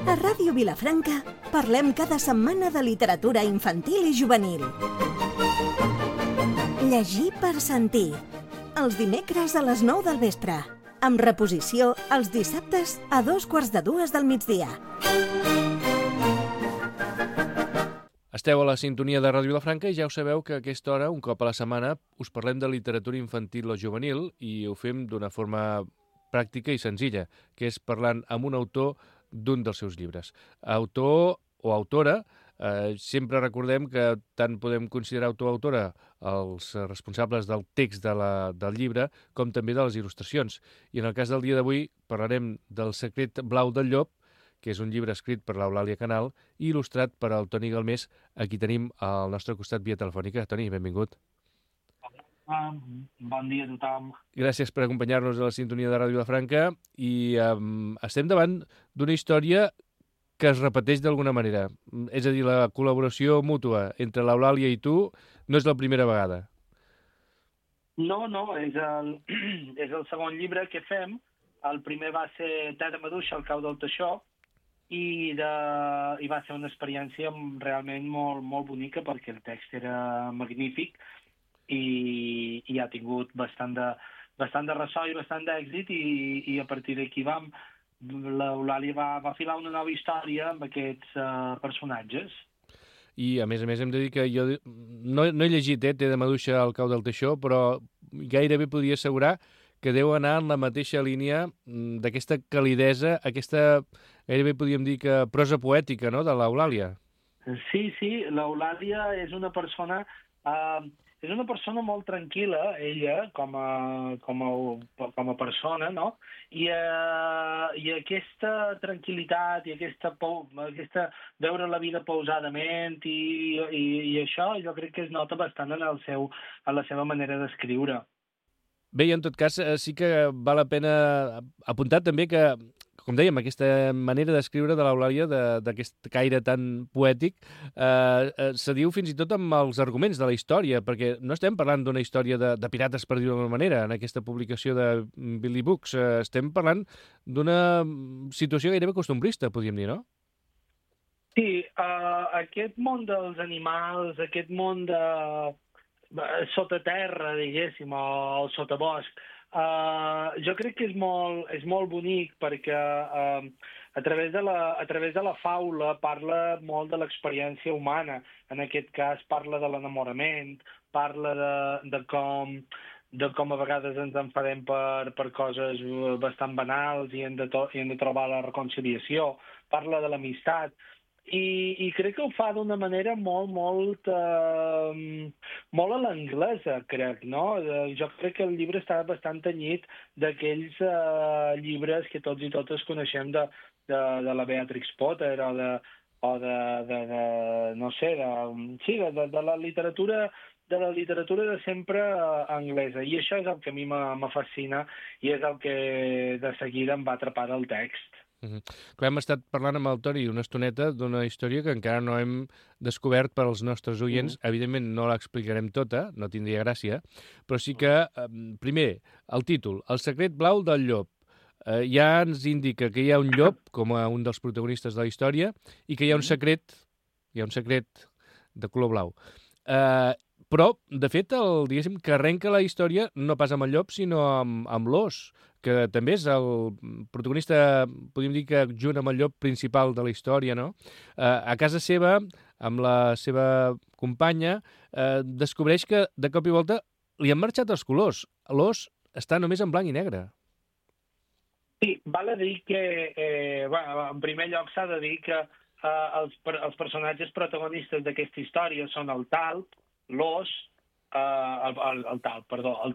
A Ràdio Vilafranca parlem cada setmana de literatura infantil i juvenil. Llegir per sentir. Els dimecres a les 9 del vespre. Amb reposició els dissabtes a 2:45 del migdia. Esteu a la sintonia de Ràdio Vilafranca i ja ho sabeu que a aquesta hora, un cop a la setmana, us parlem de literatura infantil o juvenil i ho fem d'una forma pràctica i senzilla, que és parlant amb un autor d'un dels seus llibres. Autor o autora, sempre recordem que tant podem considerar autor o autora els responsables del text del llibre com també de les il·lustracions. I en el cas del dia d'avui parlarem del Secret blau del llop, que és un llibre escrit per l'Eulàlia Canal i il·lustrat per el Toni Galmés, a qui tenim al nostre costat via telefònica. Toni, benvingut. Bon dia a tothom. Gràcies per acompanyar-nos a la sintonia de Ràdio Vilafranca i estem davant d'una història que es repeteix d'alguna manera. És a dir, la col·laboració mútua entre l'Eulàlia i tu no és la primera vegada. No, és el segon llibre que fem. El primer va ser Terra Maduixa, el cau del Teixó, i va ser una experiència realment molt, molt bonica perquè el text era magnífic i ha tingut bastant de ressò i bastant d'èxit i a partir d'aquí l'Eulàlia va filar una nova història amb aquests personatges. I a més hem de dir que jo no he llegit Terra Maduixa, el cau del Teixó, però gairebé podria assegurar que deu anar en la mateixa línia d'aquesta calidesa, aquesta, gairebé podríem dir que prosa poètica, no?, de l'Eulàlia. Sí, l'Eulàlia és una persona molt tranquil·la, ella, com a persona, no? I aquesta tranquil·litat i aquesta veure la vida pausadament i això jo crec que es nota bastant en la seva manera d'escriure. Bé, i en tot cas sí que val la pena apuntar també que, com dèiem, aquesta manera d'escriure de l'Eulàlia, d'aquest caire tan poètic, se diu fins i tot amb els arguments de la història, perquè no estem parlant d'una història de pirates, per dir-ho d'alguna manera, en aquesta publicació de Billy Books. Estem parlant d'una situació gairebé costumbrista, podríem dir, no? Sí, aquest món dels animals, aquest món de sota terra, diguéssim, o sota bosc, jo crec que és molt bonic perquè a través de la faula parla molt de l'experiència humana. En aquest cas parla de l'enamorament, parla de com a vegades ens enfadem per coses bastant banals i hem de trobar la reconciliació, parla de l'amistat. I crec que ho fa d'una manera molt a l'anglesa, crec, no? Jo crec que el llibre està bastant tenyit d'aquells llibres que tots i totes coneixem de la Beatrix Potter o de la literatura de sempre anglesa. I això és el que a mi m'afascina i és el que de seguida em va atrapar del text. Clar, hem estat parlant amb el Toni una estoneta d'una història que encara no hem descobert per als nostres oients. Evidentment no l'explicarem tota, no tindria gràcia, però sí que, primer, el títol, El secret blau del llop. Ja ens indica que hi ha un llop, com a un dels protagonistes de la història, i que hi ha un secret de color blau. Però, de fet, diguéssim, que arrenca la història no pas amb el llop, sinó amb l'ós, que també és el protagonista, podríem dir que junt amb el llop principal de la història, no? A casa seva, amb la seva companya, descobreix que de cop i volta li han marxat els colors. L'ós està només en blanc i negre. Sí, val a dir que, en primer lloc s'ha de dir que els personatges protagonistes d'aquesta història són el talp, l'ós, el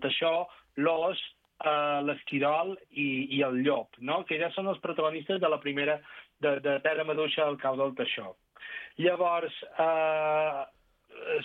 teixó, l'ós, l'esquirol i el llop, no? Que ja són els protagonistes de la primera de Terra Maduixa, el cau del Teixó. Llavors,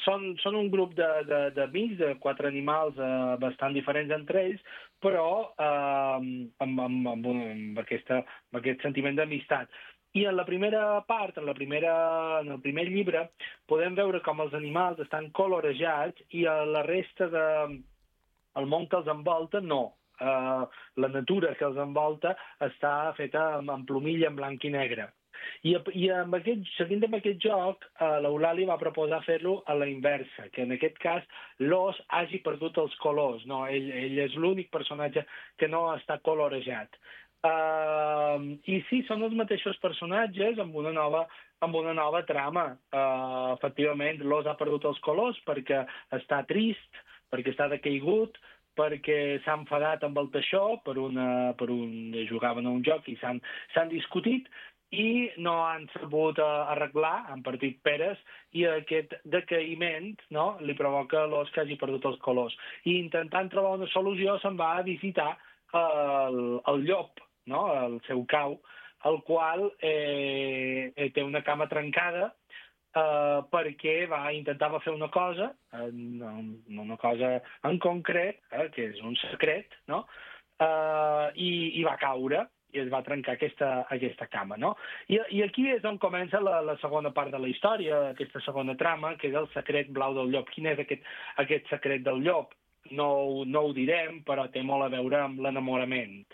són un grup d'amics, de 4 animals bastant diferents entre ells, però amb aquest sentiment d'amistat. I en la primera part, en el primer llibre, podem veure com els animals estan colorejats i a la resta del món que els envolta no. la natura que els envolta està feta amb plomilla en blanc i negre. I seguint amb aquest joc, l'Eulàlia va proposar fer-lo a la inversa, que en aquest cas l'os hagi perdut els colors. No? Ell és l'únic personatge que no està colorejat. I sí, són els mateixos personatges amb una nova trama. Efectivament, l'os ha perdut els colors perquè està trist, perquè està decaigut, perquè s'ha enfadat amb el teixó jugaven a un joc i s'han discutit i no han sabut arreglar, han partit peres, i aquest decaïment, no, li provoca l'os que hagi perdut els colors. I intentant trobar una solució se'n va a visitar el llop, no, el seu cau, el qual té una cama trencada perquè intentava fer una cosa, una cosa en concret, que és un secret, no? I va caure i es va trencar aquesta cama, no? I aquí és on comença la segona part de la història, aquesta segona trama, que és el secret blau del llop. Quin és aquest secret del llop? No ho direm, però té molt a veure amb l'enamorament.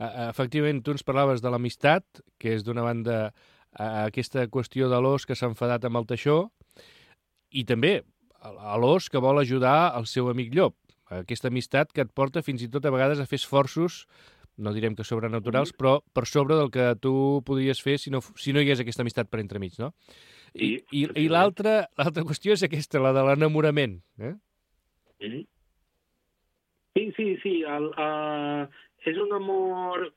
Efectivament, tu ens parlaves de l'amistat, que és d'una banda aquesta qüestió de l'os que s'ha enfadat amb el teixó, i també l'os que vol ajudar el seu amic llop. Aquesta amistat que et porta fins i tot a vegades a fer esforços, no direm que sobrenaturals, però per sobre del que tu podries fer si no hi hagués aquesta amistat per entremig, no? I l'altra qüestió és aquesta, la de l'enamorament. Sí. És un amor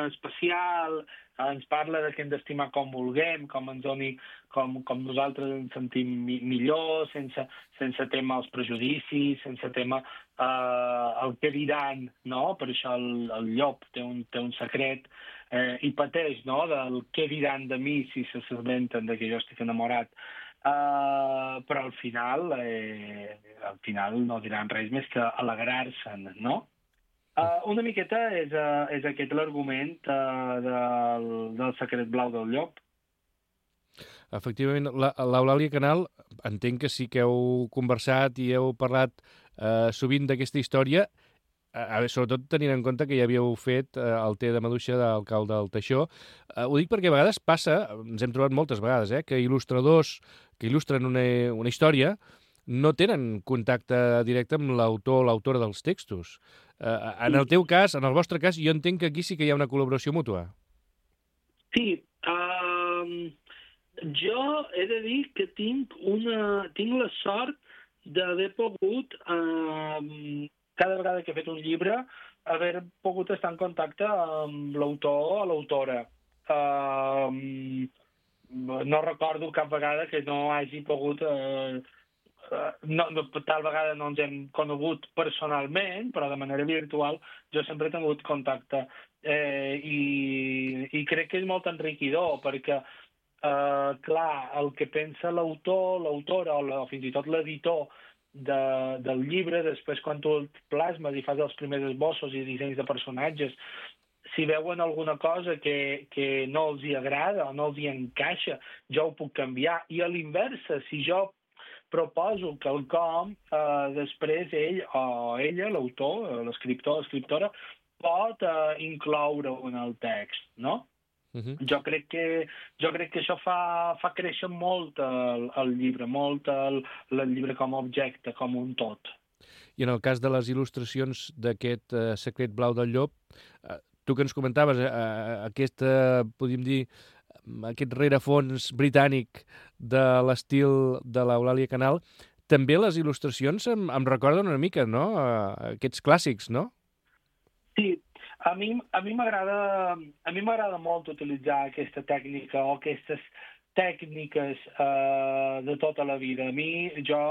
especial, ens parla de que hem d'estimar com vulguem, com nosaltres ens sentim millor, sense tema als prejudicis, sense tema el que diran, no? Per això el llop té un secret i pateix, no?, del què diran de mi si s'assabenten de que jo estic enamorat. Però al final no diran res més que alegrar-se'n, no? Una miqueta és aquest l'argument del secret blau del llop. Efectivament, l'Eulàlia Canal, entenc que sí que heu conversat i heu parlat sovint d'aquesta història, sobretot tenint en compte que ja havíeu fet el té de maduixa del cau del teixó. Ho dic perquè a vegades passa, ens hem trobat moltes vegades, que il·lustradors que il·lustren una història no tenen contacte directe amb l'autor o l'autora dels textos. En el teu cas, en el vostre cas, jo entenc que aquí sí que hi ha una col·laboració mútua. Sí, jo he de dir que tinc la sort d'haver pogut, cada vegada que he fet un llibre, haver pogut estar en contacte amb l'autor o l'autora. No recordo cap vegada que no hagi pogut... tal vegada no ens hem conegut personalment, però de manera virtual jo sempre he tingut contacte. I crec que és molt enriquidor, perquè, clar, el que pensa l'autor, l'autora o fins i tot l'editor del llibre, després quan tu el plasmes i fas els primers esbossos i dissenys de personatges, si veuen alguna cosa que no els hi agrada o no els hi encaixa, jo ho puc canviar. I a l'inversa, si jo proposo quelcom, després ell o ella, l'autor, l'escriptor, l'escriptora, pot incloure-ho en el text, no? Jo crec que això fa créixer molt el llibre, molt el llibre com a objecte, com un tot. I en el cas de les il·lustracions d'aquest secret blau del llop, tu que ens comentaves podríem dir, aquest rerefons britànic de l'estil de l'Eulàlia Canal, també les il·lustracions em recorden una mica, no?, aquests clàssics, no? Sí, a mi m'agrada molt utilitzar aquesta tècnica o aquestes tècniques de tota la vida. Jo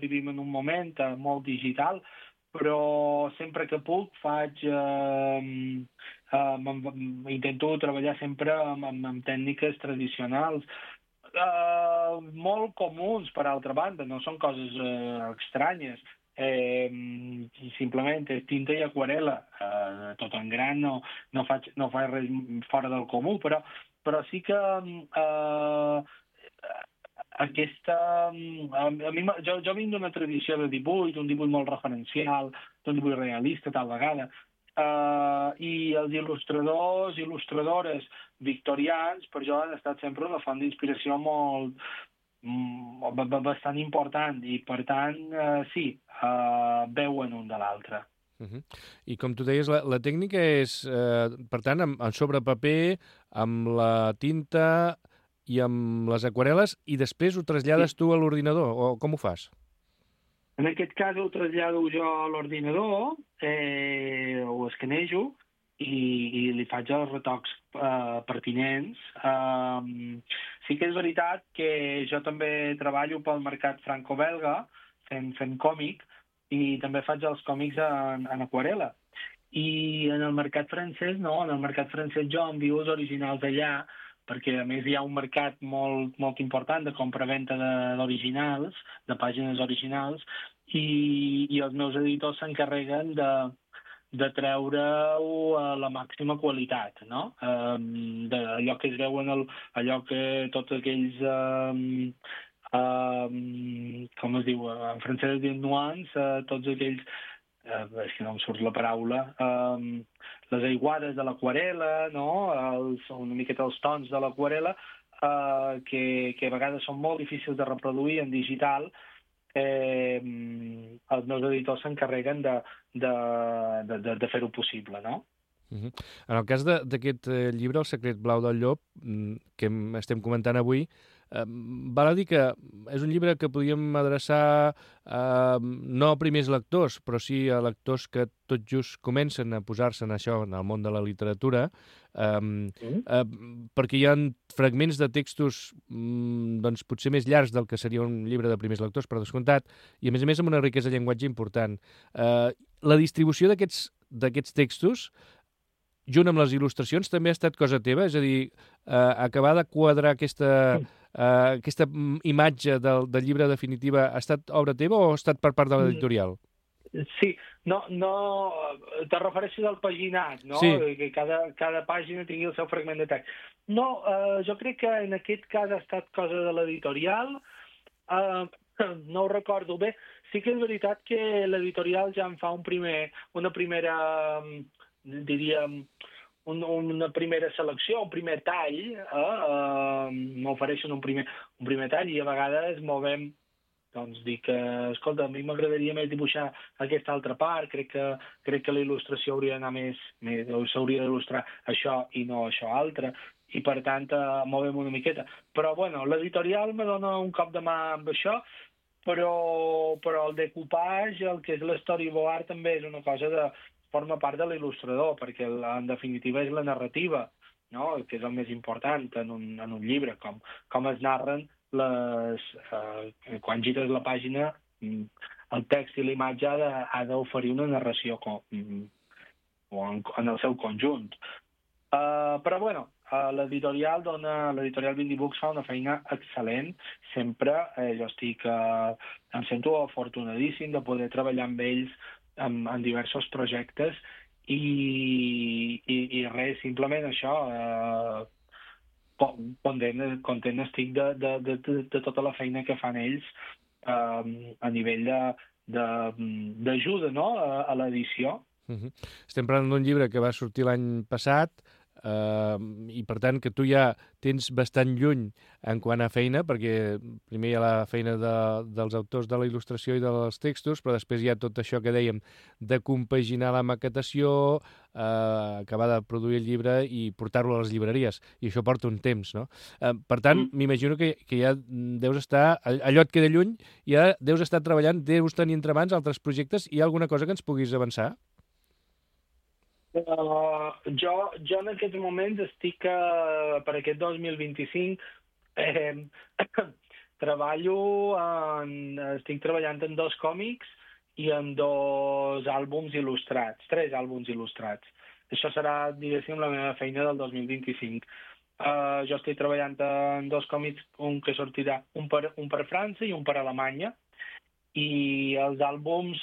vivim en un moment molt digital, però sempre que puc intento treballar sempre amb tècniques tradicionals, molt comuns, per altra banda, no són coses estranyes. Simplement és tinta i aquarel·la, tot en gran, no faig res fora del comú, però sí que aquesta... Jo vinc d'una tradició de dibuix, un dibuix molt referencial, d'un dibuix realista, tal vegada, i els il·lustradors, il·lustradores victorians, per jo han estat sempre una font d'inspiració bastant important, i per tant, sí, veuen un de l'altre. I com tu deies, la tècnica és, per tant, sobre paper, amb la tinta i amb les aquarel·les, i després ho trasllades tu a l'ordinador, o com ho fas? En aquest cas ho trasllado jo a l'ordinador, ho escanejo i li faig els retocs pertinents. Sí que és veritat que jo també treballo pel mercat franco-belga, fent còmic, i també faig els còmics en aquarel·la. I en el mercat francès, no, en el mercat francès jo envio els originals allà, perquè a més hi ha un mercat molt important de compra-venta d'originals, de pàgines originals, i els meus editors s'encarreguen de treure-ho a la màxima qualitat, no? Allò que es veuen, allò que tots aquells... com es diu? En francès es diu nuance, tots aquells... és que no em surt la paraula... les aiguades de l'aquarel·la, no? Una miqueta els tons de l'aquarel·la, que a vegades són molt difícils de reproduir en digital. Els meus editors s'encarreguen de fer-ho possible, no? En el cas d'aquest llibre, El secret blau del llop, que estem comentant avui, val a dir que és un llibre que podríem adreçar no a primers lectors, però sí a lectors que tot just comencen a posar-se en això, en el món de la literatura, perquè hi ha fragments de textos doncs, potser més llargs del que seria un llibre de primers lectors, per descomptat, i a més amb una riquesa de llenguatge important. La distribució d'aquests textos, junt amb les il·lustracions, també ha estat cosa teva? És a dir, acabar de quadrar aquesta imatge del llibre definitiva ha estat obra teva o ha estat per part de l'editorial? Sí, no, te refereixes al paginat, no? Sí. Que cada pàgina tingui el seu fragment de text. No, jo crec que en aquest cas ha estat cosa de l'editorial, no ho recordo bé. Sí que és veritat que l'editorial ja em fa una primera, diríem, una primera selecció, un primer tall, m'ofereixen un primer tall, i a vegades movem, doncs dic que, escolta, a mi m'agradaria més dibuixar aquesta altra part, crec que la il·lustració hauria d'anar més, s'hauria d'il·lustrar això i no això altre, i per tant movem una miqueta. Però, bueno, l'editorial me dona un cop de mà amb això, però el decoupage, el que és l'storyboard, també és una cosa forma part de l'il·lustrador, perquè en definitiva és la narrativa, no? Que és el més important en un llibre, com es narren quan gires la pàgina, el text i la imatge ha d'oferir una narració en el seu conjunt. Però, bueno, l'editorial Vindy Books fa una feina excel·lent. Sempre em sento afortunadíssim de poder treballar amb ells en diversos projectes i res, simplement això, content estic de tota la feina que fan ells a nivell d'ajuda, no?, a l'edició. Estem parlant d'un llibre que va sortir l'any passat, i per tant que tu ja tens bastant lluny en quant a feina, perquè primer hi ha la feina dels autors de la il·lustració i dels textos, però després hi ha tot això que dèiem de compaginar la maquetació, acabar de produir el llibre i portar-lo a les llibreries, i això porta un temps, no? Per tant, m'imagino que ja deus estar, allò et queda lluny, ja deus estar treballant, deus tenir entre mans altres projectes. Hi ha alguna cosa que ens puguis avançar? Jo en aquests moments estic per aquest 2025 estic treballant en 2 còmics i en 2 àlbums il·lustrats, 3 àlbums il·lustrats. Això serà, diguéssim, la meva feina del 2025. Jo estic treballant en 2 còmics, un que sortirà, un per França i un per Alemanya, i els àlbums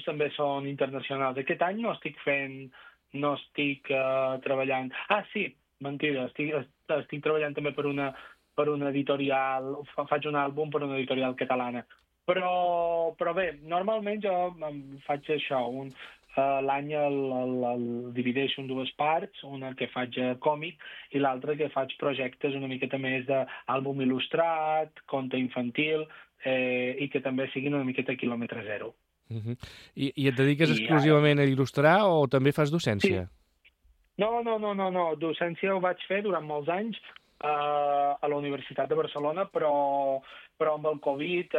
també són internacionals. Aquest any no estic treballant... Ah, sí, mentida, estic treballant també per una per una editorial, faig un àlbum per una editorial catalana. Però bé, normalment jo faig això, l'any el divideixo en dues parts, una que faig còmic i l'altra que faig projectes una miqueta més d'àlbum il·lustrat, conte infantil, i que també siguin una miqueta quilòmetre zero. I et dediques exclusivament a il·lustrar o també fas docència? Sí. No. Docència ho vaig fer durant molts anys a la Universitat de Barcelona, però amb el Covid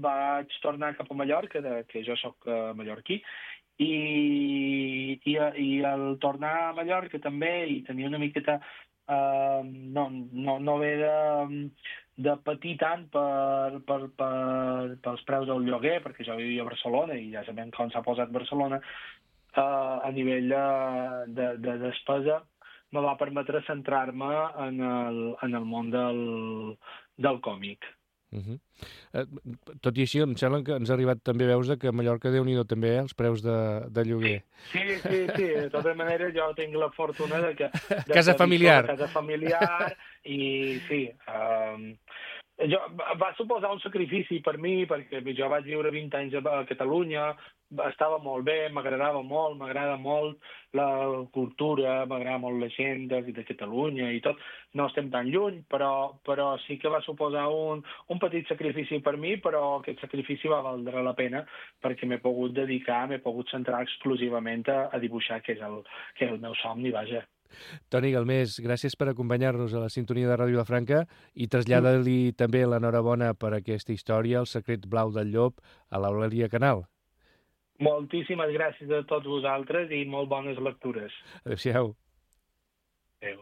vaig tornar cap a Mallorca, que jo sóc mallorquí, i al tornar a Mallorca també, i tenir una miqueta no haver de patir tant pels preus del lloguer, perquè jo vivia a Barcelona i ja sabem com s'ha posat Barcelona a nivell de despesa, me va permetre centrar-me en el món del còmic. Tot i així, em sembla que ens ha arribat també veus que a Mallorca, Déu-n'hi-do també, els preus de lloguer. Sí. De tota manera, jo tinc la fortuna de que... Casa familiar. Casa familiar, i sí... va suposar un sacrifici per mi, perquè jo vaig viure 20 anys a Catalunya, estava molt bé, m'agrada molt la cultura, m'agrada molt la gent de Catalunya i tot. No estem tan lluny, però sí que va suposar un petit sacrifici per mi, però aquest sacrifici va valdre la pena perquè m'he pogut centrar exclusivament a dibuixar, que és el meu somni, vaja. Toni Galmés, gràcies per acompanyar-nos a la sintonia de Ràdio Vilafranca i trasllada-li també l'enhorabona per aquesta història, El secret blau del llop, a l'Eulàlia Canal. Moltíssimes gràcies a tots vosaltres i molt bones lectures. Adéu-siau. Adéu.